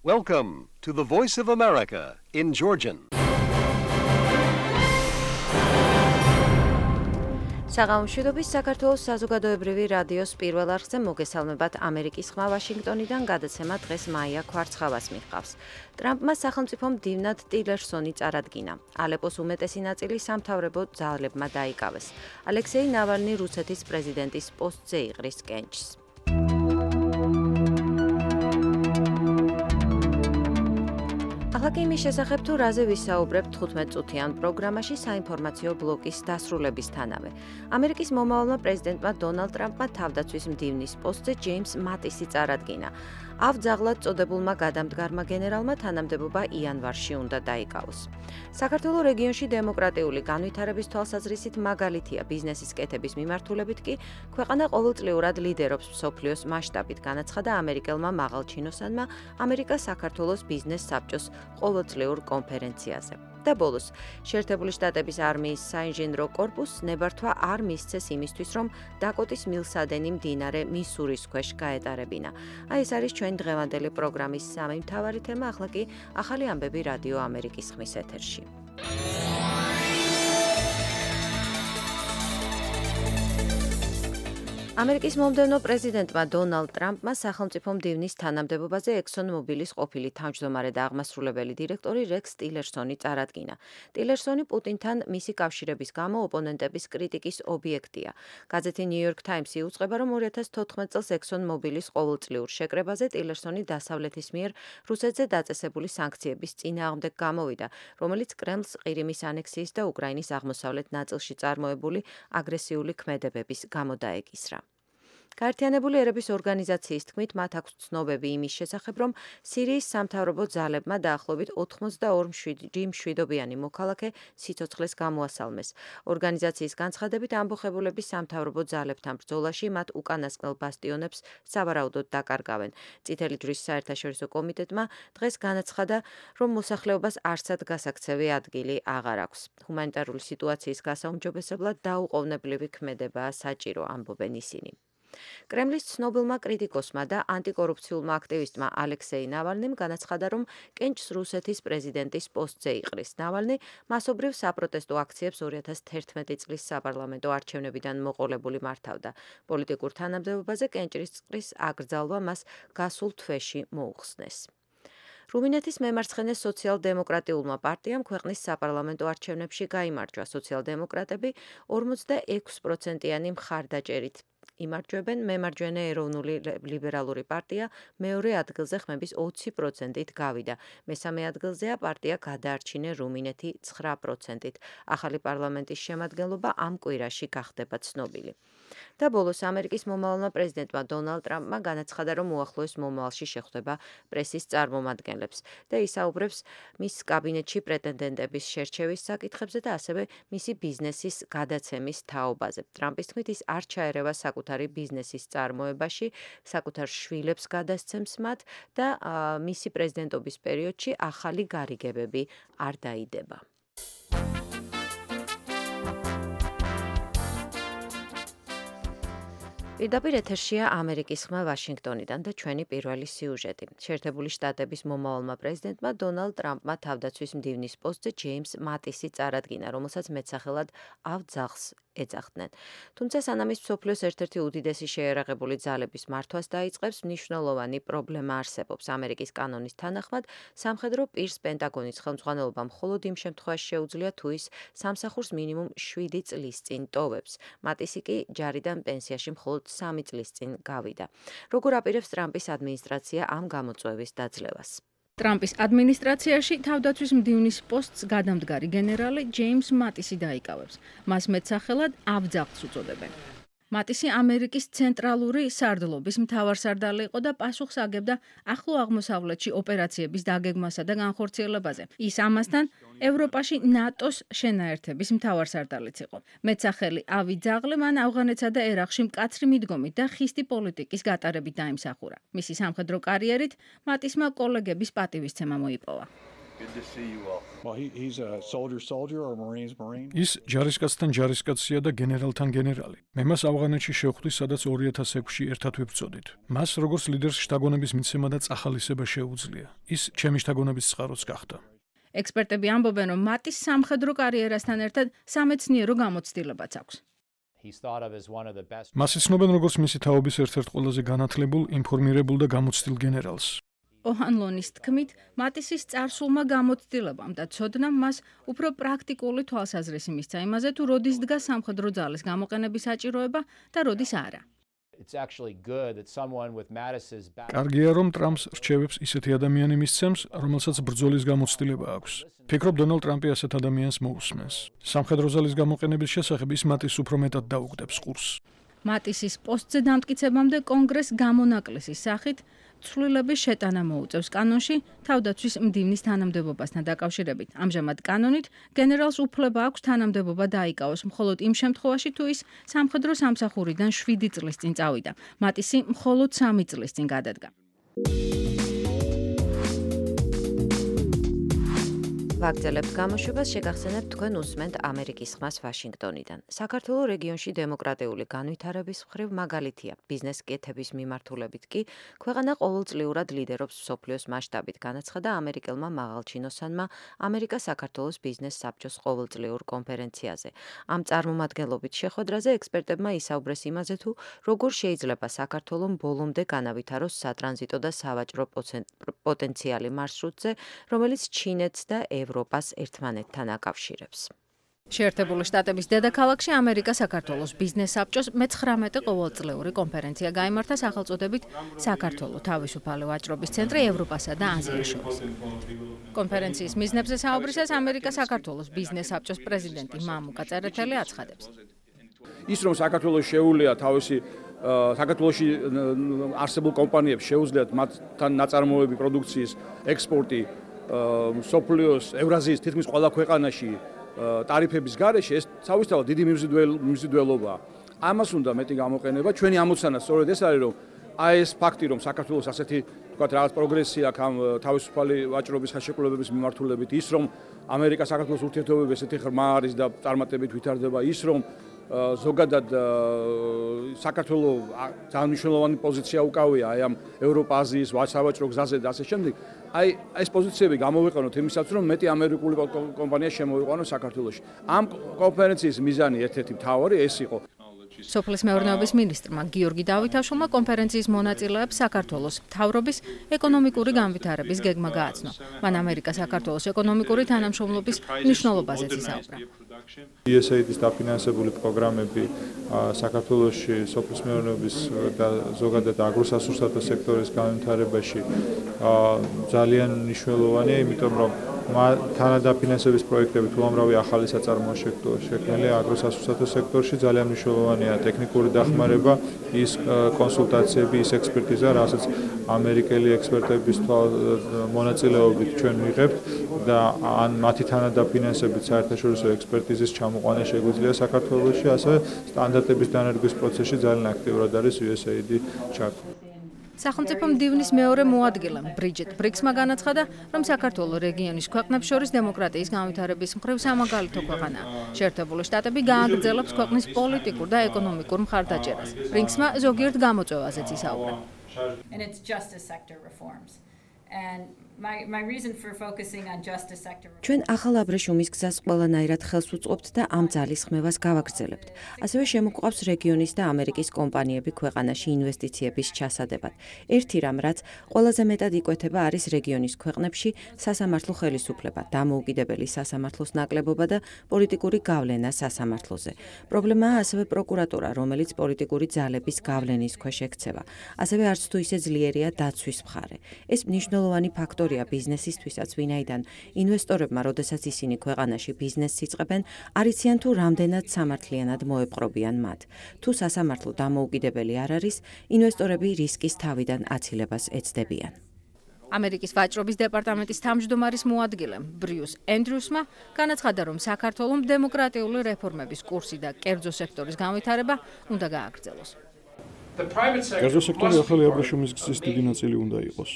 Welcome to the Voice of America in Georgian. საღამოშვიდობის საქართველოს საზოგადოებრივი რადიოს პირველ არხზე მოგესალმებათ ამერიკის ხმა ვაშინგტონიდან გადაცემა დღეს მაია ქვარცხავას მიჰყავს. ტრამპმა სახელმწიფომ მდივნად ტილერსონი წარადგინა. ალეპოს უმეტესი ნაწილი სამთავრობო ძალებმა დაიკავეს. ალექსეი ნავალნი რუსეთის პრეზიდენტის პოსტზე იყრის კენჭს. ახლა იმის შესახებ თუ რაზე ვისაუბრებთ 15 წუთიან პროგრამაში საინფორმაციო ბლოკის დასრულებისთანავე. ამერიკის მომავალმა პრეზიდენტმა დონალდ ტრამპმა თავდაცვის მდივნის პოსტზე ჯეიმს მატისი წარადგინა. ავძაღლად წოდებულმა გადამდგარმა გენერალმა თანამდებობა იანვარში უნდა დაიკავოს. საქართველოს რეგიონში დემოკრატიული განვითარების თვალსაზრისით მაგალითია ბიზნესის კეთების მიმართულებით კი ქვეყანა ყოველწლიურად ლიდერობს მსოფლიოს მასშტაბით განაცხადა ამერიკელმა მაღალჩინოსანმა ამერიკა-საქართველოს ბიზნეს საბჭოს ყოველწლიურ კონფერენციაზე. და ბოლოს, შეერთებული შტატების არმიის საინჟინრო კორპუსს ნებართვა არ მისცეს იმისთვის, რომ დაკოტის მილსადენი მდინარე მისურის ქვეშ გაეტარებინა. ეს არის ჩვენ დღევანდელი პროგრამის სამი მთავარი თემა, ახლა კი ახალი ამბები რადიო ამერიკის ხმის ეთერში. ამერიკის მომდევნო პრეზიდენტმა დონალდ ტრამპმა სახელმწიფო მდივნის თანამდებობაზე ექსონ მობილის ყოფილი თავმჯდომარე და აღმასრულებელი დირექტორი რექს ტილერსონი წარადგინა. ტილერსონი პუტინთან მისი კავშირების გამო ოპონენტების კრიტიკის ობიექტია. გაზეთი New York Times-ი უწყება, რომ 2014 წელს ექსონ მობილის ყოველწლიურ შეკრებაზე ტილერსონი დასავლეთის მიერ რუსეთზე დაწესებული სანქციების წინააღმდეგ გამოვიდა, რომელიც კრემლს ყირიმის ანექსიის და უკრაინის აღმოსავლეთ ნაწილში წარმოებული აგრესიული ქმედებების გამო დაეკისრა. გაერთიანებული ერების ორგანიზაციის თქმით, მათ აქვს ცნობები იმის შესახებ, რომ სირიის სამთავრობო ძალებმა დაახლოებით 82 მშვიდობიანი მოქალაქე სიცოცხლეს გამოასალმეს. ორგანიზაციის განცხადებით, ამბოხებულების სამთავრობო ძალებთან ბრძოლაში მათ უკანასკნელ ბასტიონებს სავარაუდოდ დაკარგავენ. წითელი ჯვრის საერთაშორისო კომიტეტმა დღეს განაცხადა, რომ მოსახლეობას არსად გასაქცევი ადგილი აღარ აქვს. ჰუმანიტარული სიტუაციის გასაუმჯობესებლად დაუყოვნებლივი ქმედებაა საჭირო, ამბობენ ისინი. კრემლის ცნობილმა კრიტიკოსმა და ანტიკორუფციულმა აქტივისტმა ალექსეი ნავალნიმ განაცხადა, რომ კენჭს რუსეთის პრეზიდენტის პოსტზე იყრის. ნავალნი მასობრივ საპროტესტო აქციებს 2011 წლის საპარლამენტო არჩევნებიდან მოყოლებული მართავდა. პოლიტიკურ თანამდებობაზე კენჭისყრის აკრძალვა მას გასულ თვეში მოუხსნეს. რუმინეთის მემარცხენე სოციალ-დემოკრატიულმა პარტიამ ქვეყნის საპარლამენტო არჩევნებში გაიმარჯვა. სოციალ-დემოკრატები 46%-იანი მხარდაჭერით იმარჯვებენ, მემარჯვენე ეროვნული ლიბერალური პარტია მეორე ადგილზე ხმების 20%-ით გავიდა. მესამე ადგილზეა პარტია გადაარჩინე რუმინეთი 9%-ით. ახალი პარლამენტის შემადგენლობა ამ კვირაში გახდება ცნობილი. და ბოლოს ამერიკის მომავალმა პრეზიდენტმა დონალდ ტრამპმა განაცხადა, რომ უახლოეს მომავალში შეხვდება პრესის წარმომადგენლებს და ისაუბრებს მის კაბინეტში პრეტენდენტების შერჩევის საკითხებზე და ასევე მისი ბიზნესის გადაცემის თაობაზე. ტრამპის თქმით, ის არ ჩაერევა საკუთარი ბიზნესის წარმოებაში, საკუთარ შვილებს გადასცემს მათ და მისი პრეზიდენტობის პერიოდში ახალი გარიგებები არ დაიდება. პირდაპირ ეთერშია ამერიკის ხმა ვაშინგტონიდან და ჩვენი პირველი სიუჟეტი. შეერთებული შტატების მომავალმა პრეზიდენტმა დონალდ ტრამპმა თავდაცვის მდივნის პოსტზე ჯეიმს მატისი წარადგინა, რომელსაც მეტსახელად ავძაღლს ეძახდნენ. თუმცა სანამ ის მსოფლიოს ერთ-ერთი უდიდესი შეიარაღებული ძალების მართვას დაიწყებს, მნიშვნელოვანი პრობლემა არსებობს. ამერიკის კანონის თანახმად, სამხედრო პირს პენტაგონის ხელმძღვანელობა მხოლოდ იმ შემთხვევაში შეუძლია, თუ ის სამსახურს მინიმუმ 7 წლის წინ ტოვებს. მატისი კი ჯარიდან პენსიაში მხოლოდ 3 წლის წინ გავიდა. როგორ აპირებს ტრამპის ადმინისტრაცია ამ გამოწვევის დაძლევას? ტრამპის ადმინისტრაციაში თავდაცვის მდივნის პოსტს გადამდგარი გენერალი ჯეიმს მატისი დაიკავებს. მას მეტსახელად ავძაღლს უწოდებენ. მატისი ამერიკის ცენტრალური სარდლობის მთავარსარდალი იყო და პასუხს აგებდა ახლო აღმოსავლეთში ოპერაციების დაგეგმასა და განხორციელებაზე. ის ამასთან ევროპაში ნატოს შენაერთების მთავარსარდალიც იყო. მეტსახელი ავიძაღლე მან ავღანეთსა და ერაყში მკაცრი მიდგომით და ხისტი პოლიტიკის გატარებით დაიმსახურა. მისი სამხედრო კარიერით მატისმა კოლეგების პატივისცემა მოიპოვა. ის ჯარისკაცთან ჯარისკაცია და გენერალთან გენერალი. მე მას ავღანეთში შევხვდი, სადაც 2006-ში ერთად ვებრძოდით. მას როგორც ლიდერს შთაგონების მიცემა და წახალისება შეუძლია. ის ჩემი შთაგონების წყაროც გახდა. ექსპერტები ამბობენ, რომ მატის სამხედრო კარიერასთან ერთად სამეცნიერო გამოცდილებაც აქვს. მას იცნობენ როგორც მისი თაობის ერთ-ერთ ყველაზე განათლებულ, ინფორმირებულ და გამოცდილ გენერალს. ოჰანლონის თქმით, მატისის წარსულმა გამოცდილებამ და ცოდნამ მას უფრო პრაქტიკული თვალსაზრისი მისცა იმაზე, თუ როდის დგას სამხედრო ძალის გამოყენების საჭიროება და როდის არა. კარგია, რომ ტრამპს რჩევებს ისეთი ადამიანი მისცემს, რომელსაც ბრძოლის გამოცდილება აქვს. ფიქრობ, დონალდ ტრამპი ასეთ ადამიანს მოусმენს. სამხედრო ძალის გამოყენების შესახებ ის მატის უფრო მეტად დაუგდებს ყურს. მატისის პოსტზე დამტკიცებამდე კონგრესს გამონაკლისის სახით ცვლილების შეტანა მოუწევს კანონში თავდაცვის მდივნის თანამდებობასთან დაკავშირებით. ამჟამად კანონით გენერალს უფლება აქვს თანამდებობა დაიკავოს მხოლოდ იმ შემთხვევაში, თუ ის სამხედრო სამსახურიდან 7 წლის წინ წავიდა. მატისი მხოლოდ 3 წლის წინ გადადგა. ვაგრძელებთ გამოშვებას, შეგახსენებთ თქვენ უსმენთ ამერიკის ხმას ვაშინგტონიდან. საქართველოს რეგიონში დემოკრატიული განვითარების მხრივ მაგალითია. ბიზნეს კეთების მიმართულებით კი ქვეყანა ყოველწლიურად ლიდერობს მსოფლიოს მასშტაბით, განაცხადა ამერიკელმა მაღალჩინოსანმა ამერიკა-საქართველოს ბიზნეს საბჭოს ყოველწლიურ კონფერენციაზე. ამ წარმომადგენლობით შეხვედრაზე ექსპერტებმა ისაუბრეს იმაზე, თუ როგორ შეიძლება საქართველოს ბოლომდე განავითაროს სატრანზიტო და სავაჭრო პოტენციალი მარშრუტზე, რომელიც ჩინეთს და ევროპას ერთმანეთთან აკავშირებს. შეერთებული შტატების დედაქალაქში ამერიკა-საქართველოს ბიზნეს საბჭოს მე-19 ყოველწლიური კონფერენცია გაიმართა სახელწოდებით საქართველოს თავისუფალი ვაჭრობის ცენტრი ევროპასა და აზიას შორის. კონფერენციის მიზნებზე საუბრისას ამერიკა-საქართველოს ბიზნეს საბჭოს პრეზიდენტი მამუკა წერეთელი აცხადებს. ის რომ საქართველოს შეუძლია თავისი საქართველოში არსებულ კომპანიებს შეუძლიათ მათთან ნაწარმოები პროდუქციის ექსპორტი მსოფლიოს ევრაზიის თითქმის ყველა ქვეყანაში ტარიფების გარეშე, ეს თავისთავად დიდი მიმზიდველობაა. ამას უნდა მეტი გამოყენება. ჩვენი ამოცანა სწორედ ეს არის, რომ აი ეს ფაქტი, რომ საქართველოს ასეთი თქვათ რაღაც პროგრესი აქვს ამ თავისუფალი ვაჭრობის ხელშეკრულებების მიმართულებით, ის რომ ამერიკა-საქართველოს ურთიერთობები ესეთი ღრმა არის და წარმატებით ვითარდება, ის რომ ზოგადად საქართველოს ძალიან მნიშვნელოვანი პოზიცია უკავია აი ამ ევროპა-აზიის სავაჭრო გზაზე და ასე შემდეგ. აი ეს პოზიციები გამოვიყენოთ იმისათვის, რომ მეტი ამერიკული კომპანია შემოვიყვანოს საქართველოში. ამ კონფერენციის მიზანი ერთ-ერთი მთავარი ეს იყო. სოფლის მეურნეობის მინისტრმა გიორგი დავითაშვილმა კონფერენციის მონაწილეებს საქართველოს მთავრობის ეკონომიკური განვითარების გეგმა გააცნო. მან ამერიკა-საქართველოს ეკონომიკური თანამშრომლობის მნიშვნელობაზეც ისაუბრა. USAID-ის დაფინანსებული პროგრამები საქართველოში სოფლის მეურნეობის და ზოგადად აგროსასურსათო სექტორის განვითარებაში ძალიან მნიშვნელოვანია, იმიტომ რომ თანადაფინანსების პროექტებით უამრავი ახალი საწარმოო შექმნილია აგროსასურსათო სექტორში, ძალიან მნიშვნელოვანია ტექნიკური დახმარება, ის კონსულტაციები, ის ექსპერტიზა, რასაც ამერიკელი ექსპერტების მონაწილეობით ჩვენ ვიღებთ და ან მათი თანადაფინანსებით საერთაშორისო ექსპერტიზის ჩამოყვანა შეგვიძლია საქართველოში, ასევე სტანდარტების დანერგვის პროცესში ძალიან აქტიურად არის USAID ჩართული. სახელმწიფო მდივნის მეორე მოადგილე ბრიჯეტ ბრიქსმა განაცხადა, რომ საქართველოს რეგიონის ქვეყნებს შორის დემოკრატიის განვითარების მხრივ სამაგალითო ქვეყანაა. შეერთებული შტატები გააგრძელებს ქვეყნის პოლიტიკურ და ეკონომიკურ მხარდაჭერას. ბრიქსმა ზოგიერთ გამოწვევაზეც ისაუბრა. ჩვენ ახალ აბრეშუმის გზას ყველანაირად ხელს უწყობთ და ამ ძალის ხმევას გავაგრძელებთ. ასევე შემოგვყავს რეგიონის და ამერიკის კომპანიები ქვეყანაში ინვესტიციების ჩასადებად. ერთი რამ, რაც ყველაზე მეტად იკვეთება, არის რეგიონის ქვეყნებში სასამართლო ხელისუფლება, დამოუკიდებელი სასამართლოს ნაკლებობა და პოლიტიკური გავლენა სასამართლოზე. პრობლემაა ასევე პროკურატურა, რომელიც პოლიტიკური ძალების გავლენის ქვეშ ექცევა. ასევე არც თუ ისე ძლიერია დაცვის მხარე. ეს მნიშვნელოვანი ფაქტორია ბიზნესისთვისაც, ვინაიდან ინვესტორებმა, როდესაც ისინი ქვეყანაში ბიზნესს იწყებენ, არიციან თუ რამდენად სამართლიანად მოეპყრობიან მათ. თუ სასამართლო დამოუკიდებელი არ არის, ინვესტორები რისკის თავიდან აცილებას ეცდებიან. ამერიკის ვაჭრობის დეპარტამენტის თავმჯდომარის მოადგილე ბრიუს ენდრიუსმა განაცხადა, რომ საქართველოს დემოკრატიული რეფორმების კურსი და კერძო სექტორის განვითარება უნდა გააგრძელოს. კერძო სექტორი ახალი აბრეშუმის გზის დიდი ნაწილი უნდა იყოს.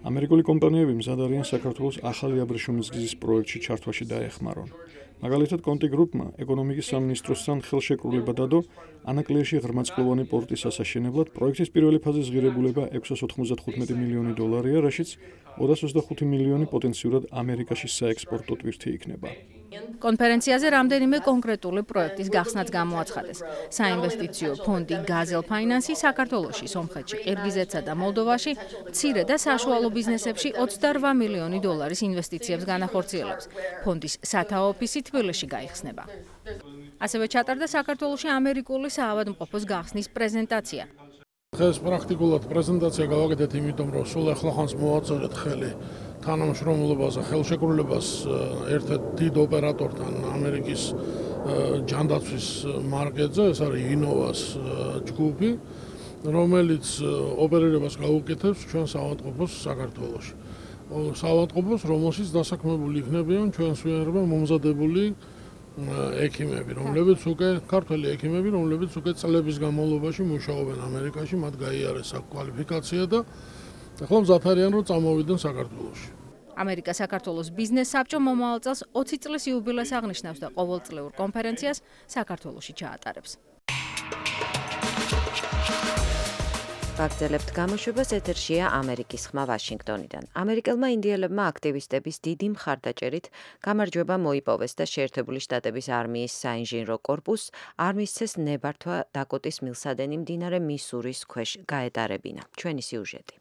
ამერიკული კომპანიები მზად არიან საქართველოს ახალი აბრეშუმის გზის პროექტში ჩართვაში დაეხმარონ. მაგალითად, კონტი გრუპმა ეკონომიკის სამინისტროსთან ხელშეკრულება დადო ანაკლიაში ღრმაწყლოვანი პორტის ასაშენებლად. პროექტის პირველი ფაზის ღირებულება $695 მილიონი, რაშიც 225 მილიონი პოტენციურად ამერიკაში საექსპორტო ტვირთი იქნება. კონფერენციაზე რამდენიმე კონკრეტული პროექტის გახსნაც გამოაცხადეს. საინვესტიციო ფონდი გაზელ ფაინანსი საქართველოში, სომხეთში, ყირგიზეთსა და მოლდოვაში მცირე და საშუალო ბიზნესებში $28 მილიონი ინვესტიციებს განახორციელებს. ფონდის სათაო ოფისი თბილისში გაიხსნება. ასევე ჩატარდა საქართველოში ამერიკული საავადმყოფოს გახსნის პრეზენტაცია. დღეს პრაქტიკულად პრეზენტაცია გავაკეთეთ, იმიტომ რომ სულ ახლა ხანს მოვაწოდეთ ხელი თანამშრომლობაზე, ხელშეკრულებას ერთ-ერთ დიდ ოპერატორთან ამერიკის ჯანდაცვის მარკეტზე, ეს არის ინოვას ჯგუფი, რომელიც ოპერირებას გაუკეთებს ჩვენ საავადმყოფოს საქართველოში. საავადმყოფოს, რომელშიც დასაქმებული იქნებიან ჩვენს ვინაირებმა მომზადებული ექიმები, რომლებიც უკვე ქართველი ექიმები, რომლებიც უკვე წლების განმავლობაში მუშაობენ ამერიკაში, მათ გაიარეს აქ კვალიფიკაცია და ახლა მზად არიან რომ წამოვიდნენ საქართველოში. ამერიკა საქართველოს ბიზნეს საბჭო მომავალ წელს 20 წლის იუბილეს აღნიშნავს და ყოველწლიურ კონფერენციას საქართველოში ჩაატარებს. გაგრძელებთ გამოშვებას, ეთერშია ამერიკის ხმა ვაშინგტონიდან. ამერიკელმა ინდიელებმა აქტივისტების დიდი მხარდაჭერით გამარჯვება მოიპოვეს და შეერთებული შტატების არმიის საინჟინრო კორპუსს არ მისცეს ნებართვა დაკოტის მილსადენი მდინარე მისურის ქვეშ გაეტარებინა. ჩვენი სიუჟეტი.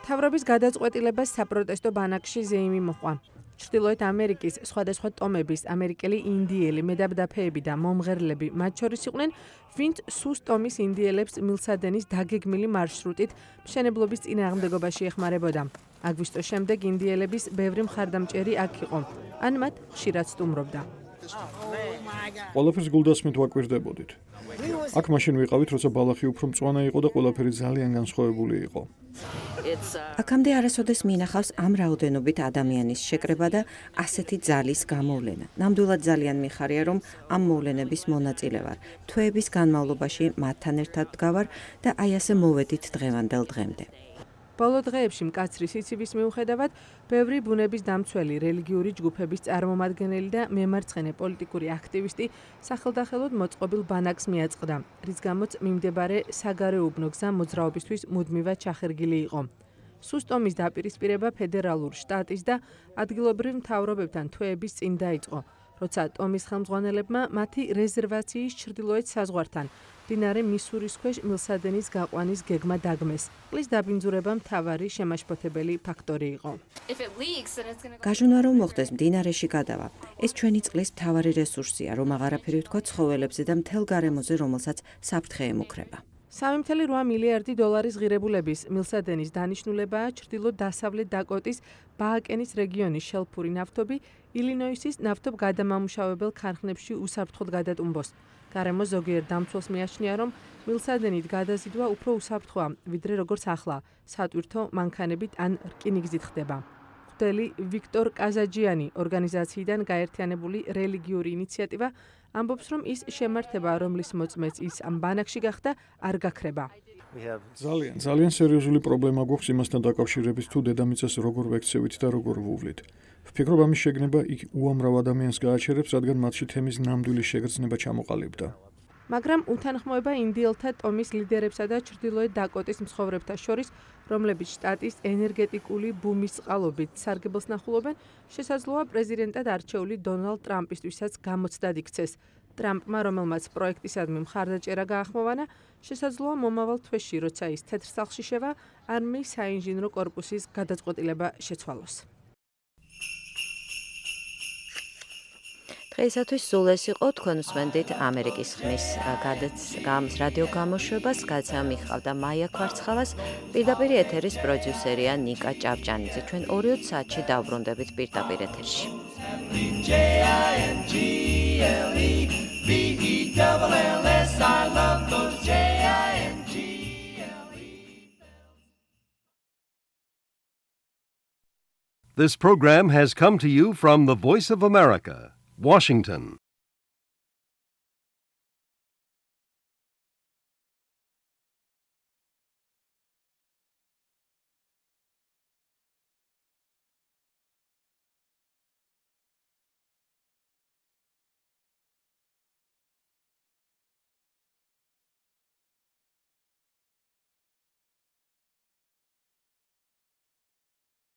მთავრობის გადაწყვეტილებას საპროტესტო ბანაკში ზეიმი მოჰყვა. ჩრდილოეთ ამერიკის სხვადასხვა ტომების ამერიკელი ინდიელი მედაბდაფეები და მომღერლები მათ შორის იყვნენ, ვინც სუს ტომის ინდიელებს მილსადენის დაგეგმილი მარშრუტით მშენებლობის წინააღმდეგობაში ეხმარებოდა. აგვისტოს შემდეგ ინდიელების ბევრი მხარდამჭერი აქ იყო, ან მათ ხშირად სტუმრობდა. ყველაფერს გულდასმით ვაკვირდებოდით. აქ მაშინ ვიყავით, როცა ბალახი უფრო მწვანე იყო და ყველაფერი ძალიან განსხვავებული იყო. აქამდე არასოდეს მინახავს ამ რაოდენობით ადამიანის შეკრება და ასეთი ძალის გამოვლენა. ნამდვილად ძალიან მიხარია, რომ ამ მოვლენების მონაწილე ვარ. თვეების განმავლობაში მათთან ერთად დგავარ და აი ასე მოვედით დღევანდელ დღემდე. ბოლო დღეებში მკაცრი სიცივის მიუხედავად, ბევრი ბუნების დამცველი რელიგიური ჯგუფების წარმომადგენელი და მემარცხენე პოლიტიკური აქტივისტი სახელდახელოდ მოწყობილ ბანაკს მიაწყდა, რის გამოც მიმდებარე საგარეუბნო გზა მოძრაობისთვის მუდმივად ჩახერგილი იყო. სუს ტომის დაპირისპირება ფედერალურ, შტატის და ადგილობრივ მთავრობებთან თვეების წინ დაიწყო, როცა ტომის ხელმძღვანელებმა მათი რეზერვაციის ჩრდილოეთ საზღვართან მდინარე მისურის ქვეშ მილსადენის გაყვანის გეგმა დაგმეს. წყლის დაბინძურება მთავარი შემაშფოთებელი ფაქტორი იყო. გაჟონა რომ მოხდეს მდინარეში გადავა. ეს ჩვენი წყლის მთავარი რესურსია, რომ აღარაფერი ვთქვა ცხოველებზე და მთელ გარემოზე, რომელსაც საფრთხე ემუქრება. $3.8 მილიარდი ღირებულების მილსადენის დანიშნულებაა ჩრდილო-დასავლეთ დაკოტის ბააკენის რეგიონის შელფური ნავთობი ილინოისის ნავთობგადამამუშავებელ ქარხნებში უსაფრთხოდ გადატუმბოს. გარემო ზოგიერთ დამცველს მიაჩნია, რომ მილსადენით გადაზიდვა უფრო უსაფრთხოა, ვიდრე როგორც ახლა, სატვირთო მანქანებით ან რკინიგზით ხდება. მღვდელი ვიქტორ კაზაჯიანი ორგანიზაციიდან გაერთიანებული რელიგიური ინიციატივა ამბობს, რომ ის შემართება, რომლის მოწმეც ის ამ ბანაკში გახდა, არ გაქრება. ძალიან სერიოზული პრობლემა გვაქვს იმასთან დაკავშირებით, თუ დედამიწას როგორ ვექცევით და როგორ ვუვლით. ვფიქრობ, ამის შეგნება იქ უამრავ ადამიანს გააჩერებს, რადგან მათში თემის ნამდვილი შეგრძნება ჩამოყალიბდა. მაგრამ უთანხმოება ინდიელთა ტომის ლიდერებსა და ჩრდილოეთ დაკოტის მცხოვრებთა შორის, რომლებიც შტატის ენერგეტიკული ბუმის წყალობით სარგებელს ნახულობენ, შესაძლოა პრეზიდენტად არჩეული დონალდ ტრამპისთვისაც გამოცდად იქცეს. ტრამპმა, რომელმაც პროექტისადმი მხარდაჭერა გაახმოვანა, შესაძლოა მომავალ თვეში, როცა ის თეთრ სახლში შევა, არმიის საინჟინრო კორპუსის გადაწყვეტილება შეცვალოს. დღეისათვის სულ ეს იყო, თქვენ უსმენდით ამერიკის ხმის რადიო გამოშვებას, გადაცემა მიხავდა მაია ქვარცხალას, პირდაპირ ეთერის პროდიუსერია ნიკა ჭავჭანიძე. ჩვენ 2 საათში დავბრუნდებით პირდაპირ ეთერში. This program has come to you from the Voice of America, Washington.